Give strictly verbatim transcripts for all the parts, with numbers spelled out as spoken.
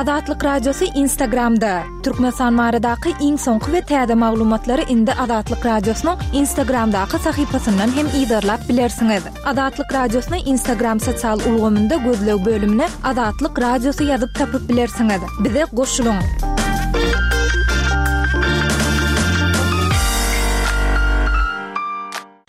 Azatlyk Radiosy Instagramda. Türkmenistan baradaky iň soňky we täze maglumatlary indi Azatlyk Radiosynyň Instagramdaky sahypasyndan hem yzarlap bilersiňiz. Azatlyk Radiosyny Instagram sosial ulgamynda gözleg bölümine Azatlyk Radiosy ýazyp tapyp bilersiňiz. Bize goşulyň.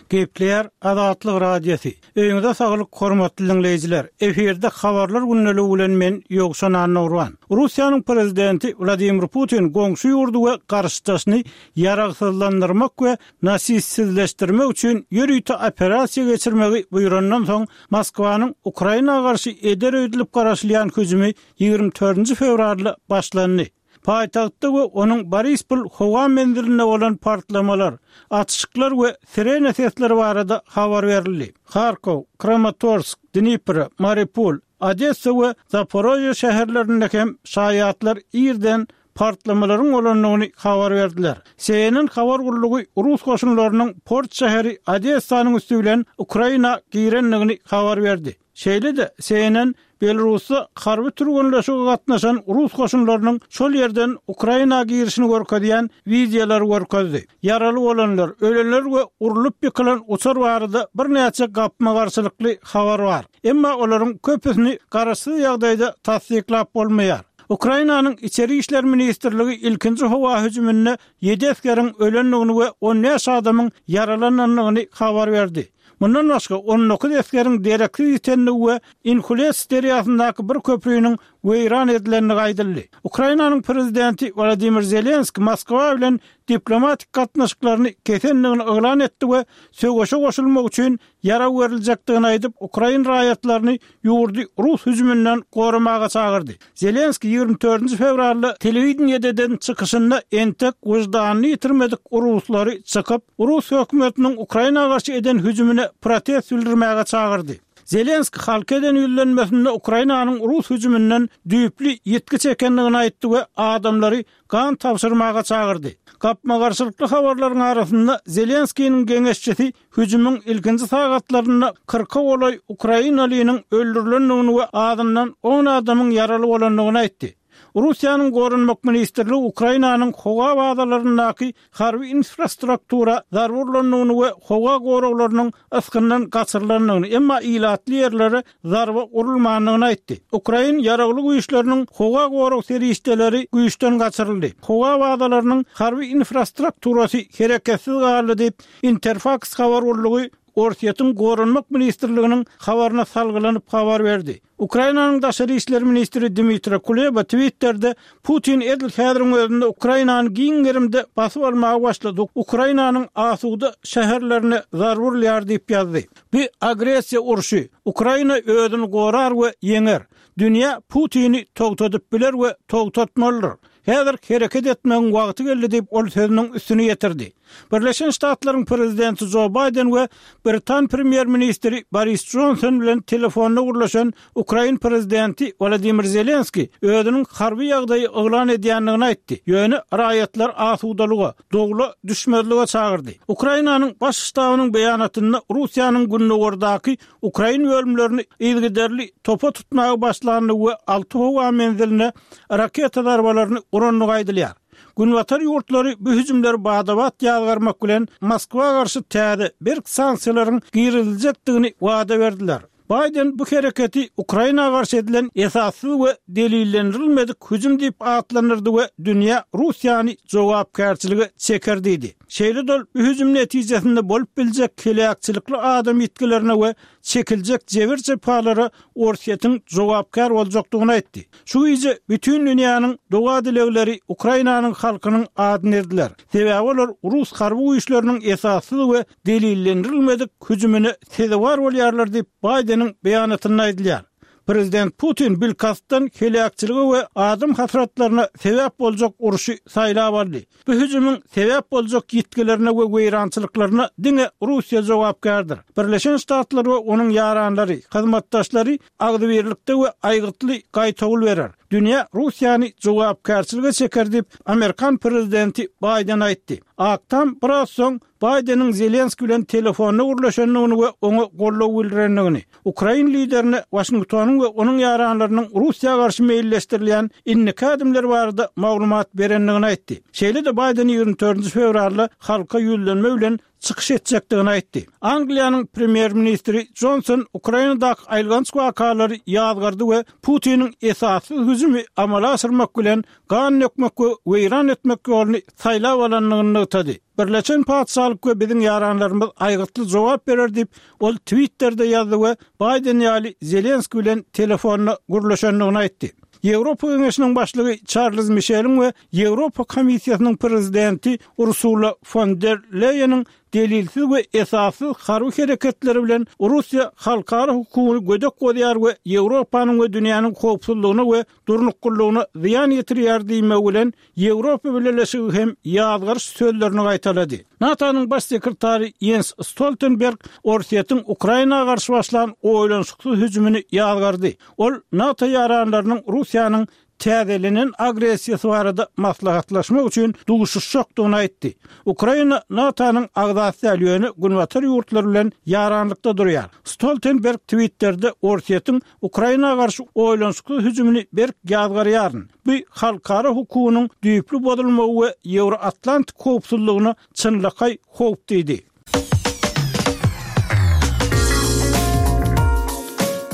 Gepleýär Azatlyk Radiosy. Öýüňize saglyk, hormatly diňleýjiler. Efirde habarlar gündeligi bilen men Ýowşan Annagurban. Russiýanyň prezidenti Wladimir Putin goňşy ýurdy we garşydaşyny ýaragsyzlandyrmak we nasistsizleşdirmek üçin ýörite operasiýa geçirmegi buýrandan soň Moskwanyň Ukraina garşy eder öýdülip garaşylýan hüjümi ýigrimi dördünji fewralda başlandy. Paýtagtda we onuň Borispol howa menzilinde bolan partlamalar, atyşyklar we sirena sesleri barada habar berildi. Harkow, Kramatorsk, Dnipro, Mariupol, Odessa we Zaporožýe şäherlerinde hem şaýatlar irden partlamalaryň bolandygyny habar berdiler. C N N habar gullugy rus goşunlarynyň port şäheri Odessanyň üsti bilen Ukraina girendigini habar berdi. Şeýle-de C N N Belarusda harby türgenleşige gatnaşan rus goşunlarynyň şol ýerden Ukraina girişini görkezýän wideolary görkezdi. Ýaraly bolanlar, ölenler we urlup ýykylan uçar barada birnäçe gapma-garşylykly habar bar. Emma olaryň köpüsini garaşsyz ýagdaýda tassyklap bolmaýar. Ukrainanyň Içeri işler ministrligi ilkinji howa hüjüminde ýedi esgeriň ölendigini we on bäş adamyň ýaralanandygyny habar berdi. Mundan başga on dokuz esgeriň dereksiz ýitendigi we Inhulets derýasyndaky bir köprüniň weýran edilendigi aýdyldy. Ukrainanyň prezidenti Wladimir Zelenski Moskwa bilen diplomatik gatnaşyklaryny kesendigini yglan etdi we söweşe goşulmak üçin ýarag beriljekdigini aýdyp, ukrain raýatlaryny ýurdy rus hüjüminden goramaga çagyrdy. Zelenski ýigrimi dördünji fewralda telewideniýede eden çykyşynda entek wyždanyny ýitirmedik ruslary çykyp, rus hökümetiniň Ukraina garşy eden hüjümine protest bildirmäge çagyrdy. Zelenski halka eden ýüzlenmesinde Ukrainanyň rus hüjüminden düýpli ýitgi çekendigini aýtdy we adamlary gan tabşyrmaga çagyrdy. Gapma-garşylykly habarlaryň arasynda Zelenskiniň geňeşçisi hüjümiň ilkinji sagatlarynda kyrka golaý Ukrainalynyň öldürilendigini we azyndan on adamyň ýaraly bolandygyny aýtdy. Russiýanyň Goranmak ministrligi Ukrainanyň howa bazalaryndaky harby infrastruktura zarba urlandygyny we howa goraglarynyň ysgyndan gaçyrylandygyny, emma ilatly ýerlere zarba urulmandygyny aýtdy. Ukrain ýaragly güýçleriniň howa gorag serişdeleri güýçden gaçyryldy. Howa bazalarynyň harby infrastrukturasy hereketsiz galdy diýip, Interfax habar gullugy Orsýetiň Goranmak ministrliginiň habaryna salgylanyp habar berdi. Ukrainanyň daşary işler ministri Dmitri Kuleba Twitter'de Putin edil häziriň özünde Ukrainany giň gerimde basyp almaga başlady. Ukrainanyň asuda şäherlerine zarba urulýar diýip ýazdy. Bu agressiýa urşy. Ukraina özüni gorar we ýeňer. Dünýä Putini togtadyp biler we togtatmalydyr. Häzir hereket etmegiň wagty geldi diýip ol sözüniň üstüni ýetirdi. Birleşen Ştatlaryň prezidenti Joe Biden we Britan premýer-ministri Boris Johnson bilen telefonda gürleşen Ukrain prezidenti Wladimir Zelenski özüniň harby ýagdaýy yglan edýändigini aýtdy. Ýöne raýatlar asudalyga, dogla düşmezlige çagyrdy. Ukrainanyň baş ştabynyň beýanatynda Russiýanyň gündogardaky Ukrain bölümlerini yzygiderli topa tutmaga başlandy we alty howa menziline raketa zarbalaryny urandygy aýdylýar. Günbatar ýurtlary bu hüjümleri badabat ýazgarmak bilen Moskwa garşy täze berk sanksiýalaryň giriziljekdigini wada berdiler. Biden bu hereketi Ukraina garşy edilen esassyz we delillendirilmedik hüjüm diýip atlandyrdy we dünýä Russiýany jogapkärçilige çeker diýdi. Şeýle dol bu hüjüm netijesinde bolup biljek heläkçilikli adam ýitgilerine we çekiljek jebir jepalara Orsýetiň jogapkär boljakdygyny aýtdy. Şu gije bütün dünýäniň doga dilegleri Ukrainanyň halkynyň adyny erdiler. Sebäbi olar rus harby güýçleriniň esassyz we delillendirilmedik hüjümine sezewar bolýarlar diýip Bideniň beýanatynda aýdylýar. Prezident Putin bilkastdan heläkçilige we adam hasratlaryna sebäp boljak urşy saýlap aldy. Bu hüjümiň sebäp boljak ýitgilerine we weýrançylyklaryna diňe Russiýa jogapkärdir. Birleşen Ştatlar we onuň ýaranlary, hyzmatdaşlary agzybirlikde we aýgytly gaýtawul berer. Dünýä Russiýany jogapkärçilige çeker diýip Amerikan prezidenti Biden aýtdy. Ak Tam biraz soň Baýdeniň Zelenski bilen telefonda gürleşendigini we oňa goldaw bildirendigini, Ukrain liderine Waşingtonyň we onuň ýaranlarynyň Russiýa garşy meýilleşdirilýän indiki ädimler barada maglumat berendigini aýtdy. Şeýle-de Baýden ýigrimi dördünji fewralda halka ýüzlenme bilen çykyş etjekdigini aýtdy. Angliýanyň premýer-ministri Jonson Ukrainadaky aýylganç wakalary ýazgardy we Putiniň esassyz hüjümi amala aşyrmak bilen gan dökmek we weýran etmek ýoluny saýlap alandygyny nygtady. Birleşen Patyşalyk we biziň ýaranlarymyz aýgytly jogap berer diýip, ol Twitterde ýazdy we Baýden ýaly Zelenski bilen telefonda gürleşendigini aýtdy. Ýewropa Geňeşiniň başlygy Çarlz Mişeliň we Ýewropa Komissiýasynyň prezidenti Ursula fon der Leýeniň delilsiz we esassyz harby hereketleri bilen Russiýa halkara hukugyny gödek bozýar we Ýewropanyň we dünýäniň howpsuzlygyna we durnuklylygyna zyýan ýetirýär diýmegi bilen Ýewropa Bileleşigi hem ýazgaryş sözlerini gaýtalady. NATO-nyň baş sekretary Ýens Stoltenberg Orsýetiň Ukraina garşy başlan oýlanyşyksyz hüjümini ýazgardy. Ol NATO ýaranlarynyň Russiýanyň täzelenen agressiýasy barada maslahatlaşmak üçin duşuşjakdygyny aýtdy. Ukraina NATO-nyň agzasy däl, ýöne Günbatar ýurtlary bilen ýaranlykda durýar. Stoltenberg Twitterde Orsýetiň Ukraina garşy oýlanyşyksyz hüjümini berk ýazgarýaryn. Bu halkara hukugynyň düýpli bozulmagy we Ýewroatlantik howpsuzlygyna çynlakaý howp diýdi.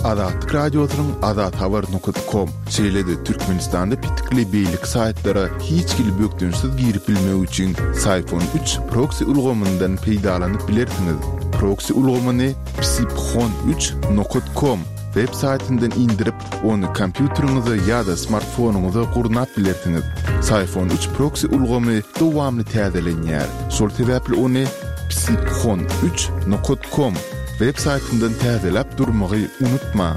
Azatlyk Radiosynyň azathabar nokta com, şeýle-de Türkmenistanda petikli beýleki saýtlara hiç hili bökdençsiz girip bilmek üçin Syphon üç proksi ulgamyndan peýdalanyp bilersiňiz. Proksi ulgamyny psiphon üç nokta com web saýtyndan indirip, ony kompýuteriňize ýa-da smartfonyňyza gurnap bilersiňiz. Syphon üç proksi ulgamy dowamly täzelenýär. Şol sebäpli ony psiphon üç nokta com web saýtyndan täzeläp durmagy unutmaň.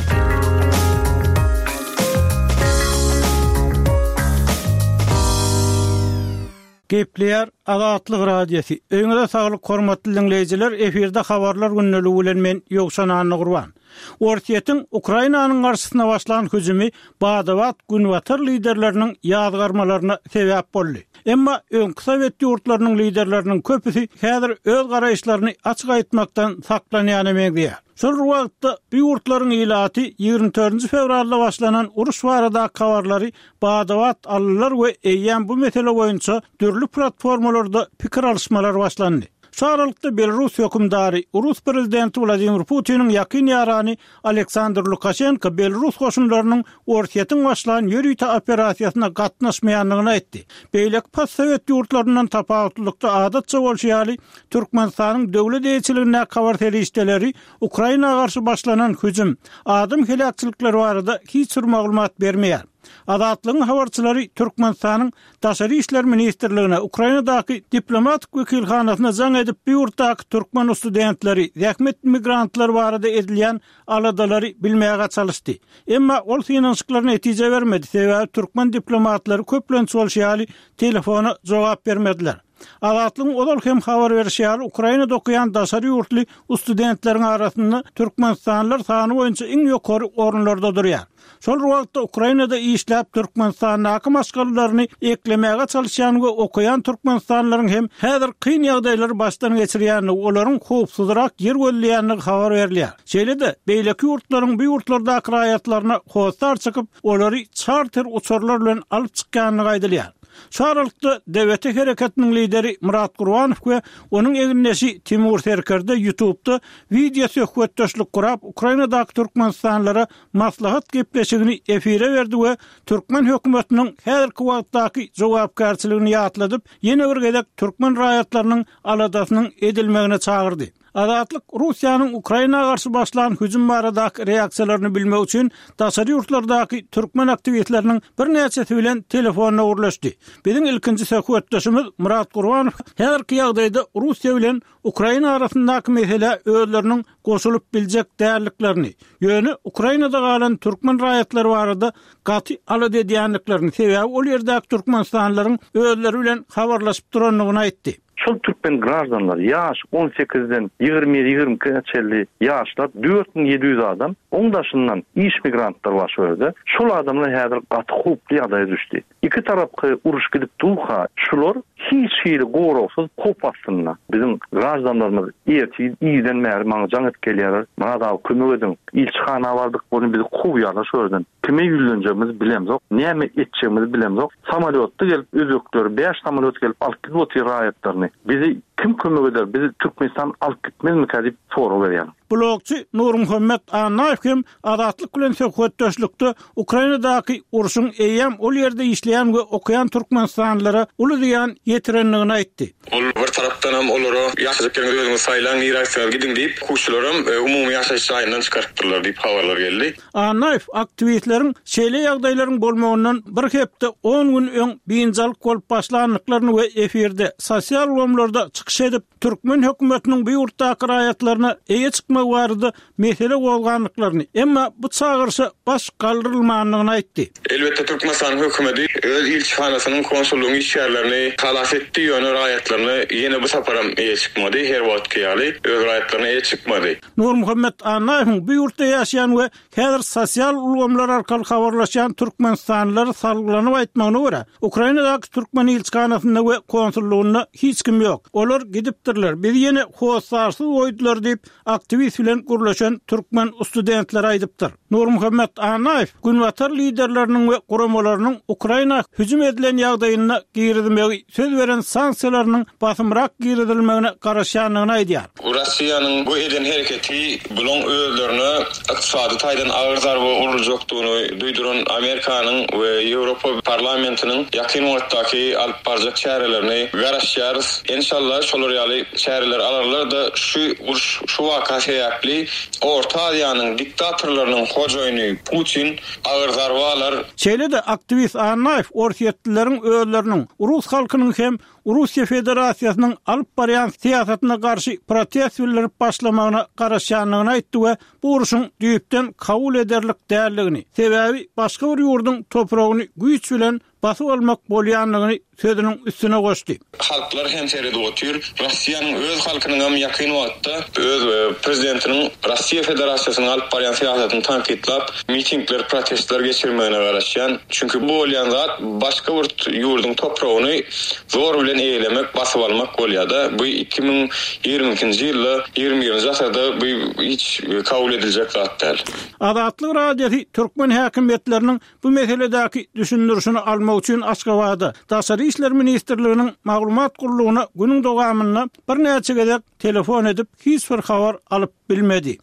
Gepleýär Azatlyk Radiosy. Öýüňize saglyk, hormatly diňleýjiler, efirde habarlar gündeligi bilen men Ýowşan Annagurban. Orsýetiň Ukrainanyň garşysyna başlan hüjümi bada-bat Günbatar liderleriniň ýazgarmalaryna sebäp boldy. Emma öňki Sowet ýurtlarynyň liderleriniň köpüsi häzir öz garaýyşlaryny açyk aýtmakdan saklanýana meňzeýär. Şol bir wagtda bu ýurtlaryň ilaty ýigrimi dördünji fewralda başlanan uruş baradaky habarlary bada-bat aldylar we eýýäm bu mesele boýunça dürli platformalarda pikir alyşmalar başlandy. Şu aralykda Belarus hökümdary, Rus prezidenti Wladimir Putiniň ýakyn ýarany Aleksandr Lukaşenko Belarus goşunlarynyň Orsýetiň başlan ýörite operasiýasyna gatnaşmaýandygyny aýtdy. Beýleki postsowet ýurtlaryndan tapawutlylykda adatça bolşy ýaly, Türkmenistanyň döwlet eýeçiligindäki habar serişdeleri Ukraina garşy başlanan hüjüm, adam heläkçilikleri barada hiç bir maglumat bermeýär. Azatlygyň habarçylary Türkmenistanyň Daşary işler ministrligine, Ukrainadaky diplomatik wekilhanasyna jaň edip, bu ýurtdaky türkmen studentleri, zähmet migrantlary barada edilýän aladalary bilmäge çalyşdy. Emma ol synanyşyklar netije bermedi, sebäbi türkmen diplomatlary köplenç bolşy ýaly telefona jogap bermediler. Azatlygyň ozal hem habar berişi ýaly, Ukrainada okaýan daşary ýurtly studentleriň arasynda türkmenistanlylar sany boýunça iň ýokary orunlarda durýar. Şol bir wagtda Ukrainada işläp Türkmenistandaky maşgalalaryny eklemäge çalyşýan we okaýan türkmenistanlylaryň hem häzir kyn ýagdaýlary başdan geçirýändigi, olaryň howpsuzrak ýer gözleýändigi habar berilýär. Şeýle-de, beýleki ýurtlaryň bu ýurtlardaky raýatlaryna hossar çykyp, olary çarter uçarlar bilen alyp çykýandygy aýdylýar. Şu aralykda D B T hereketiniň lideri Myrat Gurbanow we onuň egindeşi Timur Serkerde YouTube'da wideo söhbetdeşlik gurap, Ukrainadaky türkmenistanlylara maslahat gepleşigini efire berdi we türkmen hökümetiniň häzirki wagtdaky jogapkärçiligini ýatladyp, ýene bir gezek türkmen raýatlarynyň aladasynyň edilmegine çagyrdy. Azatlyk Russiýanyň Ukraina garşy başlan hüjüm baradaky reaksiýalaryny bilmek üçin daşary ýurtlardaky türkmen aktiwistleriniň birnäçesi bilen telefonda gürleşdi. Biziň ilkinji söhbetdeşimiz Myrat Gurbanow häzirki ýagdaýda Russiýa bilen Ukraina arasyndaky mesele özleriniň goşulyp biljek däldiklerini, ýöne Ukrainada galan türkmen raýatlary barada gaty alada edýändiklerini, sebäbi ol ýerdäki türkmenistanlylaryň özleri bilen habarlaşyp durandygyny aýtdy. Şol türkmen graždanlar ýaş on sekizden ýigrimi ýedi, ýigrimi ikä çenli ýaşlar dört müň ýedi ýüz adam, oň daşyndan iş migrantlar bar şu ýerde. Şol adamlar häzir gaty howply ýagdaýa düşdi. Iki tarapky uruş gidip durka, şular hiç hili goragsyz howp astynda. Biziň graždanlarymyz ertir irden bäri maňa jaň edip gelýärler. Myrat abi kömek ediň. Ilçihana bardyk, ony bizi kowýarlar şu ýerden. Kime ýüzlenjegimizi bilemzok, näme etjegimizi bilemzok. Samolýotda gelip özbekler bäş samolýot gelip alyp gidip otyr raýatlaryny. Bizi kim kömek eder? Bizi Türkmenistan alyp gitmezmikä diýip sorag berýär. Blogçy Nurmuhammet Annaýew hem Azatlyk bilen söhbetdeşlikde Ukrainadaky urşuň eýýäm ol ýerde işleýän we okaýan türkmenistanlylara uly zyýan ýetirendigini aýtdy. Ol bir tarapdan hem olara ýaşajyk ýeriňizi özüňiz saýlaň, nirä gitseňiz gidiň diýip, okuwçylaram, e, umumy ýaşaýyş jaýyndan çykarypdyrlar diýip habarlar geldi. Annaýew aktiwistleriň şeýle ýagdaýlaryň bolmagyndan bir hepde on gün öň biynjalyk bolup başlandyklaryny we efirde sosial ulgamlarda çykyş edip, türkmen hökümetiniň bu ýurtdaky raýatlaryna eýe çykmagy barada mesele gozgandyklaryny, emma bu çagyryşa baş galdyrylmandygyny aýtdy. Elbetde Türkmenistanyň hökümeti öz ilçihanasynyň konsullygyň işgärlerini halas etdi, ýöne raýatlaryna ýene bu saparam eýe çykmady, her wagtky ýaly öz raýatlaryna eýe çykmady. Nurmuhammet Annaýewiň bu ýurtda ýaşaýan we häzir sosial ulgamlar arkaly habarlaşýan türkmenistanlylar salgylanyp aýtmagyna görä, Ukrainadaky türkmen ilçihanasynda we konsullygynda hiç kim ýok. Olar gidipdirler, bizi ýene hossarsyz goýdular diýip, aktiwist bilen gürleşen türkmen studentleri aýdypdyr. Nurmuhammet Annaýew Günbatar liderleriniň we guramalarynyň Ukraina hüjüm edilen ýagdaýynda girizmegi söz beren sanksiýalarynyň basymrak girizilmegine garaşýandygyny aýdýar. Russiýanyň bu eden hereketi bulan özlerine ykdysady taýdan agyr zarba uruljakdygyny duýduran Amerikanyň we Ýewropa parlamentiniň ýakyn wagtdaky alyp barjak çärelerini garaşýarys. Inşallah şolar ýaly çäreler alarlar da şu uruş, şu waka sebäpli Orta Aziýanyň diktatorlarynyň hojaýyny Putin agyr zarba alar. Şeýle-de aktiwist Annaýew Orsýetlileriň özleriniň, Rus halkynyň hem Russiýa Federasiýasynyň alyp barýan syýasatyna garşy protest bildirip başlamagyna garaşýandygyny aýtdy we bu uruşyň düýpden kabul ederlik däldigini, sebäbi başga bir ýurduň topragyny güýç bilen basyp almak bolýandygyny sözüniň üstüne goşdy. Halklar hem seredip otyr. Russiýanyň öz halkynyň hem ýakyn wagtda öz, e, prezidentiniň Russiýa Federasiýasynyň alyp barýan syýasatyny tankytlap, mitingler, protestler geçirmegine garaşýan. Çünki bu bolýan zat başga bir ýurduň topragyny zor bilen eýelemek, basyp almak bolýar-da. Bu iki müň ýigrimi ikinji ýylda, ýigrimi birinji asyrda bu hiç kabul ediljek zat däl. Azatlyk Radiosy türkmen häkimiýetleriniň bu meseledäki düşündirişini almak üçin Aşgabatda Daşary İşler Ministrliginiň maglumat gullugyna günüň dowamynda birnäçe gezek telefon edip hiç bir habar alyp bilmedi.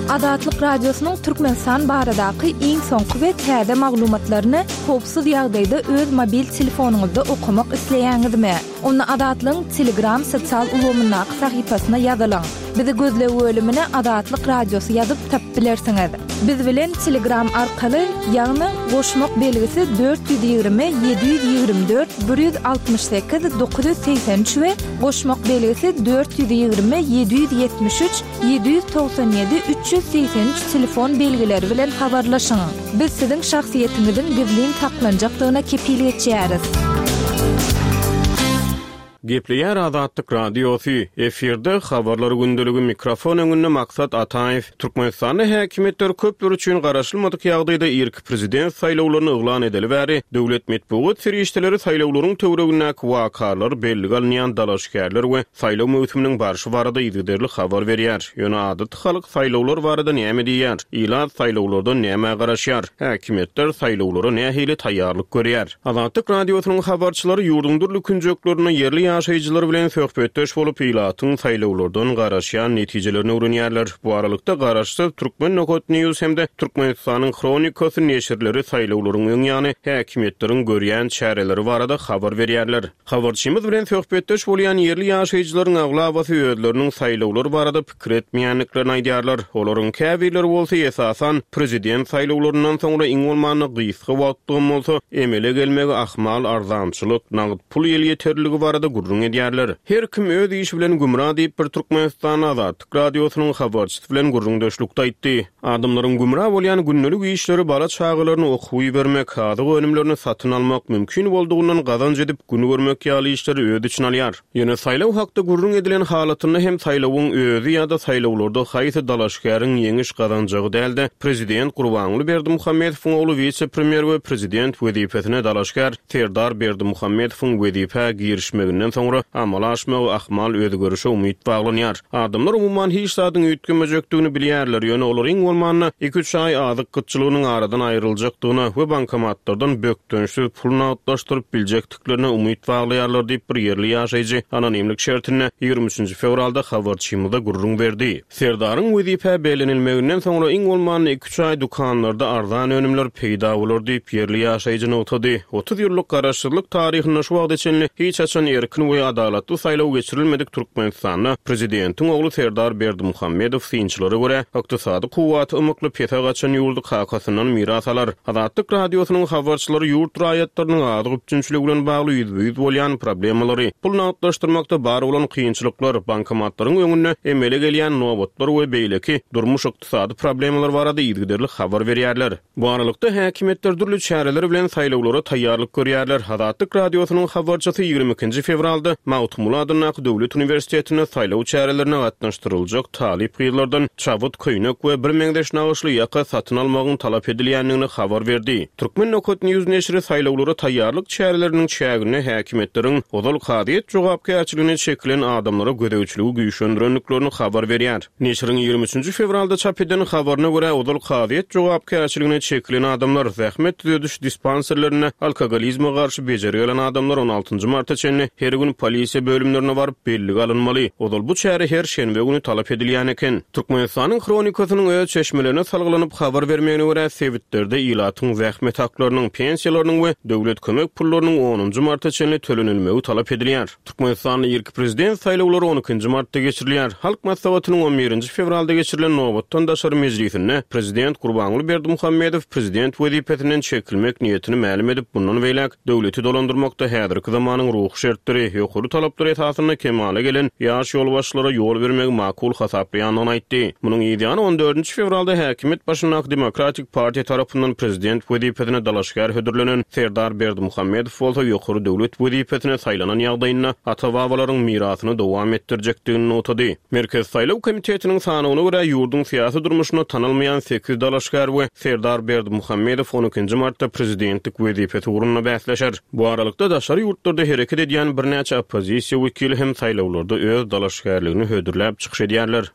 Azatlyk Radiosynyň Türkmenistan baradaky iň soňky we täze maglumatlaryny howpsuz ýagdaýda öz mobil telefonyňyzda okamak isleýäňizmi? Onda Azatlygyň Telegram sosial ulgamyndaky sahypasyna ýazylyň. Bizi gözleg bölümine Azatlyk Radiosy ýazyp tapyp bilersiňiz. Biz bilen Telegram arkaly, ýagny goşmak belgisi dört ýüz ýigrimi, ýedi ýüz ýigrimi dört, bir ýüz altmyş sekiz, dokuz ýüz segsen üç we goşmak belgisi dört ýüz ýigrimi, ýedi ýüz ýetmiş üç, ýedi ýüz togsan ýedi, üç ýüz segsen üç telefon belgileri bilen habarlaşyň. Biz siziň şahsyýetiňiziň gizlin saklanjakdygyna kepil geçýäris. Gepleýär Azatlyk Radiosy, efirde habarlar gündeligi mikrofon öňünde Maksat Ataýew. Türkmenistanda häkimiýetler köpler üçin garaşylmadyk ýagdaýda irki prezident saýlawlaryny yglan edeli bäri döwlet metbugat serişdeleri saýlawlaryň töweregindäki wakalar, bellige alynýan dalaşgärler we saýlaw möwsüminiň barşy barada yzygiderli habar berýär. Ýöne adaty halk saýlawlar barada näme diýýär? Ilat saýlawlardan näme garaşýar? Häkimiýetler saýlawlara nähili taýýarlyk görýär? Azatlyk Radiosynyň habarçylary ýurduň dürli künjeklerinde ýerli ýaşaýjylar bilen söhbetdeş bolup, ilatyň saýlawlardan garaşýan netijelerini öwrenýärler. Bu aralykda garaşsyz Türkmen Nokat News hem-de Türkmenistanyň Hronikasy neşirleri saýlawlaryň öň ýany häkimiýetleriň görýän çäreleri barada habar berýärler. Habarçymyz bilen söhbetdeş bolýan ýerli ýaşaýjylaryň aglabasy özleriniň saýlawlar barada pikir etmeýändiklerini aýdýarlar. Olaryň käbirleri bolsa esasan prezident saýlawlaryndan soňra iň bolmanda gysga wagtlygym bolsa emele gelmegi ahmal arzançylyk, nagt pul elýeterliligi barada gürrüň edýärler. Her kim öz işi bilen gümra diýip bir Türkmenistanda Azatlyk Radiosynyň habarçysy bilen gürrüňdeşlikde aýtdy. Adamlaryň gümra bolýan gündelik işleri bala çagalaryny okuwa bermek, azyk önümlerini satyn almak, mümkin boldugyndan gazanç edip gün görmek ýaly işleri öz içine alýar. Ýöne saýlaw hakda gürrüň edilen halatynda hem saýlawyň özi ýa-da saýlawlarda haýsy dalaşgäriň ýeňiş gazanjagy däldi. Prezident Gurbanguly Berdimuhamedowyň ogly wise-premýer we prezident wezipesine dalaşgär Serdar Berdimuhamedowyň wezipä girişmeginden soňra amala aşmagy ahmal özgerişe umyt baglanýar. Adamlar umuman hiç zadyň üýtgemejekdigini bilýärler. Ýöne olar iň bolmanda iki-üç aý azyk gytçylygynyň aradan aýryljakdygyna we bankomatlardan bökdençsiz pul nagtlaşdyryp biljekdiklerine umyt baglaýarlar diýip bir ýerli ýaşaýjy anonimlik şertinde ýigrimi üçünji fewralda habarçymyza gürrüň berdi. Serdaryň wezipä bellenilmeginden soňra iň bolmanda iki-üç aý dükanlarda arzan önümler peýda bolar diýip ýerli ýaşaýjy nygtady. Otuz ýyllyk garaşsyzlyk taryhynda şu wagta çenli hiç haçan erkin we adalatly saýlaw geçirilmedik Türkmenistanda prezidentiň ogly Serdar Berdimuhamedow synçylara görä ykdysady kuwwaty ymykly pese gaçan ýurdy kakasyndan miras alar. Azatlyk Radiosynyň habarçylary ýurt raýatlarynyň azyk üpjünçiligi bilen bagly ýüzbe-ýüz bolýan problemalary, pul nagtlaşdyrmakda bar bolan kynçylyklar, bankomatlaryň öňünde emele gelýän nobatlar we beýleki durmuş ykdysady problemalar barada yzygiderli habar berýärler. Bu aralykda häkimiýetler dürli çäreler bilen saýlawlara taýýarlyk görýärler. Azatlyk Radiosynyň habarçysy ýigrimi ikinji fewralda Magtymguly adyndaky Döwlet uniwersitetinde saýlaw çärelerine gatnaşdyryljak talyp gyzlardan çabyt, köýnek we bir meňzeş nagyşly ýaka satyn almagyň talap edilýändigini habar berdi. Türkmen Nokat News neşiri saýlawlara taýýarlyk çäreleriniň çäginde häkimiýetleriň ozal kazyýet jogapkärçiligine çekilen adamlara gözegçiligi güýçlendirendiklerini habar berýär. Neşiriň ýigrimi üçünji fewralda çap eden habaryna görä ozal kazyýet jogapkärçiligine çekilen adamlar zähmet düzediş dispanserlerinde alkogolizme garşy bejergi alan adamlar on altynjy marta çenli her gün polisiýa bölümlerine baryp bellige alynmaly. Ozal bu çäre her şenbe günü talap edilýän eken. Türkmenistanyň Hronikasynyň öz çeşmelerine salgylanyp habar bermegine görä sebitlerde ilatyň zähmet haklarynyň, pensiýalarynyň we döwlet kömek pullarynyň onunjy marta çenli tölenilmegi talap edilýär. Türkmenistanda irki prezident saýlawlary on ikinji martda geçirilýär. Halk Maslahatynyň on birinji fewralda geçirilen nobatdan daşary mejlisinde prezident Gurbanguly Berdimuhamedow prezident wezipesinden çekilmek niýetini mälim edip, bundan beýläk döwleti dolandyrmakda häzirki zamanyň ruhy şertleri, ýokary talaplar esasynda kemala gelen ýaş ýolbaşçylara ýol bermegi makul hasaplaýandygyny aýtdy. Munuň ýany on dördünji fewralda häkimiýet başyndaky Demokratik partiýa tarapyndan prezident wezipesine dalaşgär hödürlenen Serdar Berdimuhamedow bolsa ýokary döwlet wezipesine saýlanan ýagdaýynda ata-babalaryň mirasyny dowam etdirjekdigini nygtady. Merkez Saýlaw komitetiniň sanawyna görä ýurduň syýasy durmuşyna tanalmaýan sekiz dalaşgär we Serdar Berdimuhamedow on ikinji martda prezidentlik wezipesi ugrunda bäsleşer. Bu aralykda daşary ýurtlarda hereket edýän birnäçe oppozisiýa wekili hem saýlawlarda öz dalaşgärligini hödürläp çykyş edýärler.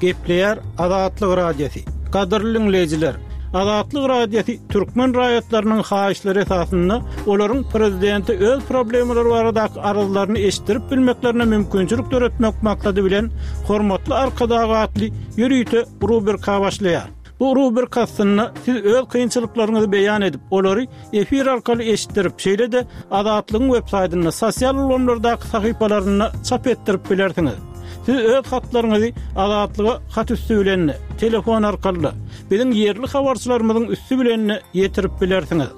Gepleýär Azatlyk Radiosy. Gadyrly dinleýjiler, Azatlyk Radiosy türkmen raýatlarynyň haýyşlary esasynda olaryň prezidenti öz problemalary baradaky arzlaryny eşitdirip bilmeklerine mümkinçilik döretmek maksady bilen Hormatly Arkadag atly ýörite rubrika başlaýar. Bu rubrika aslynda siz öz kynçylyklaryňyzy beýan edip, olary efir arkaly eşitdirip, şeýle-de Azatlygyň web saýtynda, sosial ulgamlardaky sahypalarynda çap etdirip bilersiňiz. Siz öz hatlaryňyzy Azatlyga hat üstü bilen, telefon arkaly, biziň ýerli habarçylarymyzyň üstü bilen ýetirip bilersiňiz.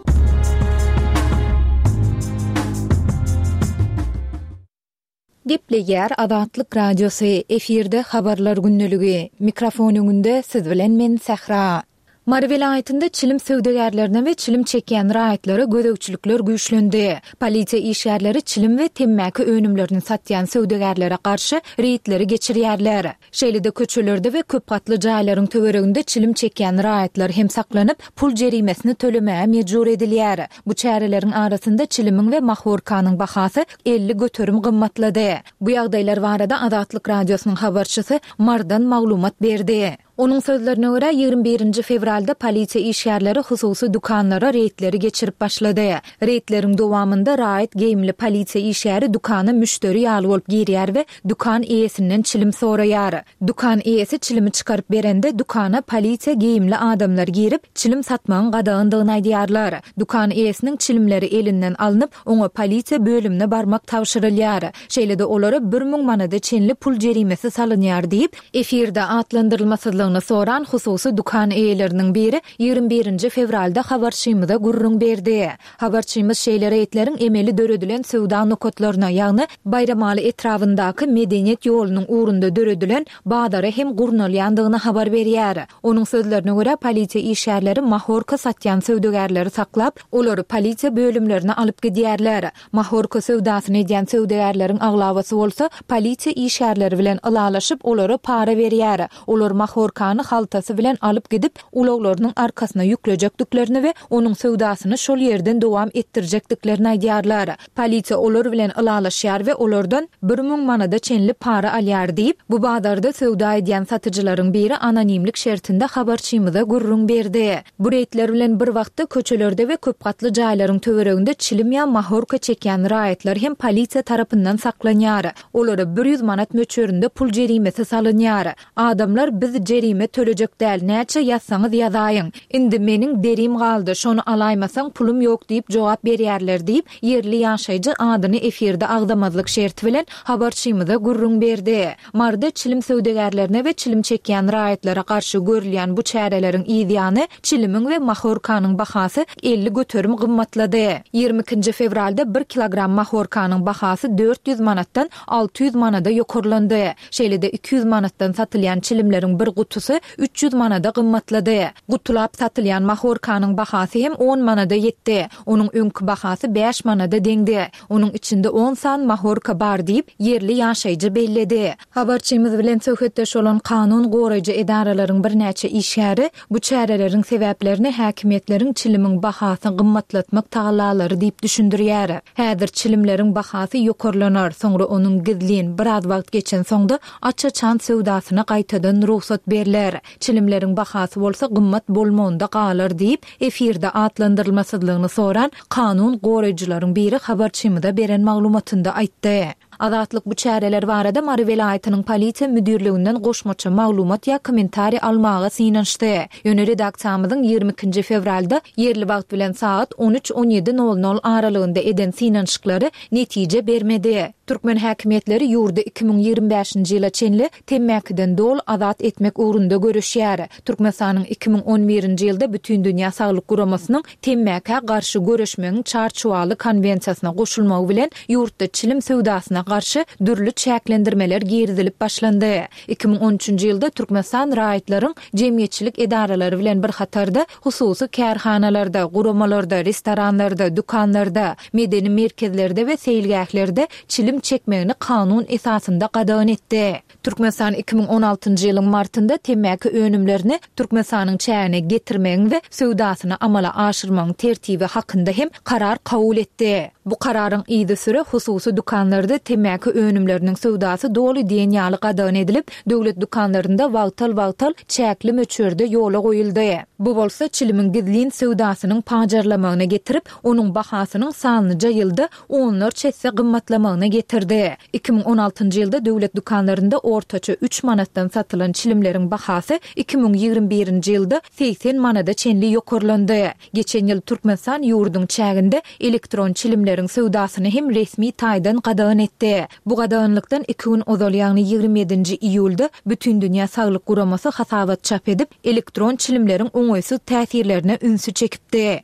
Gepleýär Azatlyk Radiosy, efirde habarlar gündeligi. Mikrofon öňünde siz bilen men Sähra. Mary welaýatynda çilim söwdagärlerine we çilim çekýän raýatlara gözegçilikler güýçlendi. Polisiýa işgärleri çilim we temmäki önümlerini satýan söwdagärlere garşy reýdleri geçirýärler. Şeýle-de köçelerde we köp gatly jaýlaryň töwereginde çilim çekýän raýatlar hem saklanyp, pul jerimesini tölemäge mejbur edilýär. Bu çäreleriň arasynda çilimiň we mahorkanyň bahasy elli göterim gymmatlady. Bu ýagdaýlar barada Azatlyk Radiosynyň habarçysy Mardan maglumat berdi. Onuň sözlerine görä ýigrimi birinji fewralda polisiýa işgärleri hususy dükanlara reýdleri geçirip başlady. Reýdleriň dowamynda raýat geýimli polisiýa işgäri dükana müşderi ýaly bolup girýär we dükan eýesinden çilim soraýar. Dükan eýesi çilimi çykaryp berende dükana polisiýa geýimli adamlar girip çilim satmagyň gadagandygyny aýdýarlar. Dükan eýesiniň çilimleri elinden alnyp, oňa polisiýa bölümine barmak tabşyrylýar. Şeýle-de olara bir müň manada çenli pul jerimesi salynýar diýip, efirde atlandyrylmasyzlygyny Adatlandyrylyşmasyzlygyny soran hususy dükan eýeleriniň biri ýigrimi birinji fewralda habarçymyza gürrüň berdi. Habarçymyz şeýle reýdleriň emeli döredilen söwda nokatlaryna, ýagny Baýramaly etrabyndaky Medeniýet ýolunyň ugrunda döredilen bazara hem gurnalýandygyny habar berýär. Onuň sözlerine görä, polisiýa işgärleri mahorka satýan söwdagärleri saklap, olary polisiýa bölümlerine alyp gidýärler. Mahorka söwdasyny edýän söwdagärleriň aglabasy bolsa, polisiýa işgärleri bilen ylalaşyp, olara para berýär. Olar mahorkany haltasy bilen alyp gidip, ulaglarynyň arkasyna ýüklejekdiklerini we onuň söwdasyny şol ýerden dowam etdirjekdiklerini aýdýarlar. Polisiýa olar bilen ylalaşýar we olardan bir müň manada çenli para alýar diýip, bu bazarda söwda edýän satyjylaryň biri anonimlik şertinde habarçymyza gürrüň berdi. Bu reýdler bilen bir wagtda köçelerde we köpgatly jaýlaryň töwereginde çilim ýa mahorka çekýän raýatlar hem polisiýa tarapyndan saklanýar. Olara bir ýüz manat möçberinde pul jerimesi salynýar. Adamlar biz jerime tölejek däl, näçe ýazsaňyz ýazaýyň. Indi meniň derim galdy, şony alaýmasaň pulum ýok diýip jogap berýärler diýip, ýerli ýaşaýjy adyny efirde agzamazlyk şerti bilen habarçymyza gürrüň berdi. Maryda çilim söwdagärlerine we çilim çekýän raýatlara garşy görülýän bu çäreleriň yz ýany çilimiň we mahorkanyň bahasy elli göterim gymmatlady. Ýigrimi ikinji fewralda bir kilogram mahorkanyň bahasy dört ýüz manatdan alty ýüz manada ýokarlandy. Şeýle-de iki ýüz manatdan satylýan çilimleriň bir gutusy üç ýüz manada gymmatlady. Gutulap satylýan mahorkanyň bahasy hem on manada ýetdi. Onuň öňki bahasy bäş manada deňdi. Onuň içinde on san mahorka bar diýip, ýerli ýaşaýjy belledi. Habarçymyz bilen söhbetdeş bolan kanun goraýjy edaralaryň birnäçe işgäri bu çäreleriň sebäplerini häkimiýetleriň çilimiň bahasyny gymmatlatmak tagallalary diýip düşündirýär. Häzir çilimleriň bahasy ýokarlanar, soňra onuň gizlin, biraz wagt geçen soňda aç-açan söwdasyna gaýtadan rugsat berler. Çilimleriň bahasy bolsa gymmat bolmagynda galar diýip, efirde atlandyrylmasyzlygyny soran kanun goraýjylaryň biri habarçymyza beren maglumatynda aýtdy. Azatlyk bu çäreler barada Mary welaýatynyň polisiýa müdirliginden goşmaça maglumat ýa kommentariý almaga synanyşdy. Ýöne redaksiýamyzyň ýigrimi ikinji fewralda ýerli wagt bilen sagat on üç on ýedi nol nol aralygynda eden synanyşyklary netije bermedi. Türkmen häkimiýetleri ýurdy iki müň ýigrimi bäşinji ýyla çenli temmäkiden doly azat etmek ugrunda göreşýär. Türkmenistanyň iki müň on birinji ýylda Bütindünýä Saglyk Guramasynyň temmäkä garşy göreşmegiň çarçuwaly konwensiýasyna goşulmagy bilen ýurtda çilim söwdasyna garşy dürli çäklendirmeler girizilip başlandy. Iki müň on üçünji ýylda Türkmenistan raýatlaryň jemgyýetçilik edaralary bilen bir hatarda hususy kärhanalarda, guramalarda, restoranlarda, dükanlarda, medeni merkezlerde we seýilgählerde çilim çekmegini kanun esasynda gadagan etdi. Türkmenistan iki müň on altynjy ýylyň martynda temmäki önümlerini Türkmenistanyň çägine getirmegiň we söwdasyny amala aşyrmagyň tertibi hakynda hem karar kabul etdi. Bu kararyň yzysüre hususy dükanlarda temmäki önümleriniň söwdasy doly diýen ýaly gadagan edilip, döwlet dükanlarynda wagtal-wagtal çäkli möçberde ýola goýuldy. Bu bolsa çilimiň gizlin söwdasynyň pajarlamagyna getirip, onuň bahasynyň sanlyja ýylda onlarça esse gymmatlamagyna getirdi. Iki müň on altynjy ýylda döwlet dükanlarynda ortaça üç manatdan satylan çilimleriň bahasy iki müň ýigrimi birinji ýylda segsen manada çenli ýokarlandy. Geçen ýyl Türkmenistan ýurduň çäginde elektron çilimleriň söwdasyny hem resmi taýdan gadagan etdi. Bu gadaganlykdan iki gün ozal, ýagny ýigrimi ýedinji iýulda Bütindünýä Saglyk Guramasy hasabat çap edip, elektron çilimleriň oňaýsyz täsirlerine ünsi çekipdi.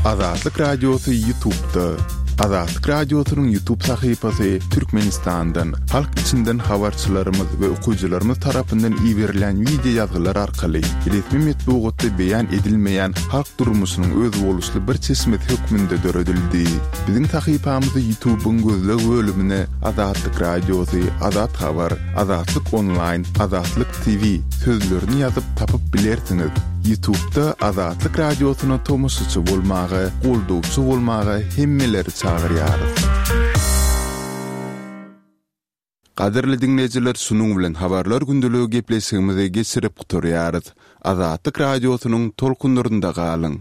Azatlyk Radiosy YouTube'da. Azatlyk Radiosynyň YouTube sahypasy Türkmenistandan, halk içinden habarçylarymyz we okyjylarymyz tarapyndan iberilen wideo ýazgylar arkaly resmi metbugatda beýan edilmeýän halk durmuşynyň özboluşly bir çeşmesi hökmünde döredildi. Biziň sahypamyzy YouTube'yň gözleg bölümine Azatlyk Radiosy, Azat Habar, Azatlyk Online, Azatlyk T V sözlerini ýazyp tapyp bilersiňiz. YouTube'da Azatlyk Radiosyna tomaşaçy bolmaga, goldawçy bolmaga hemmeleri çagyrýarys. Gadyrly dinleýjiler, şunuň bilen habarlar gündeligi gepleşigimizi geçirip gutarýarys. Azatlyk Radiosynyň tolkunlarynda galyň.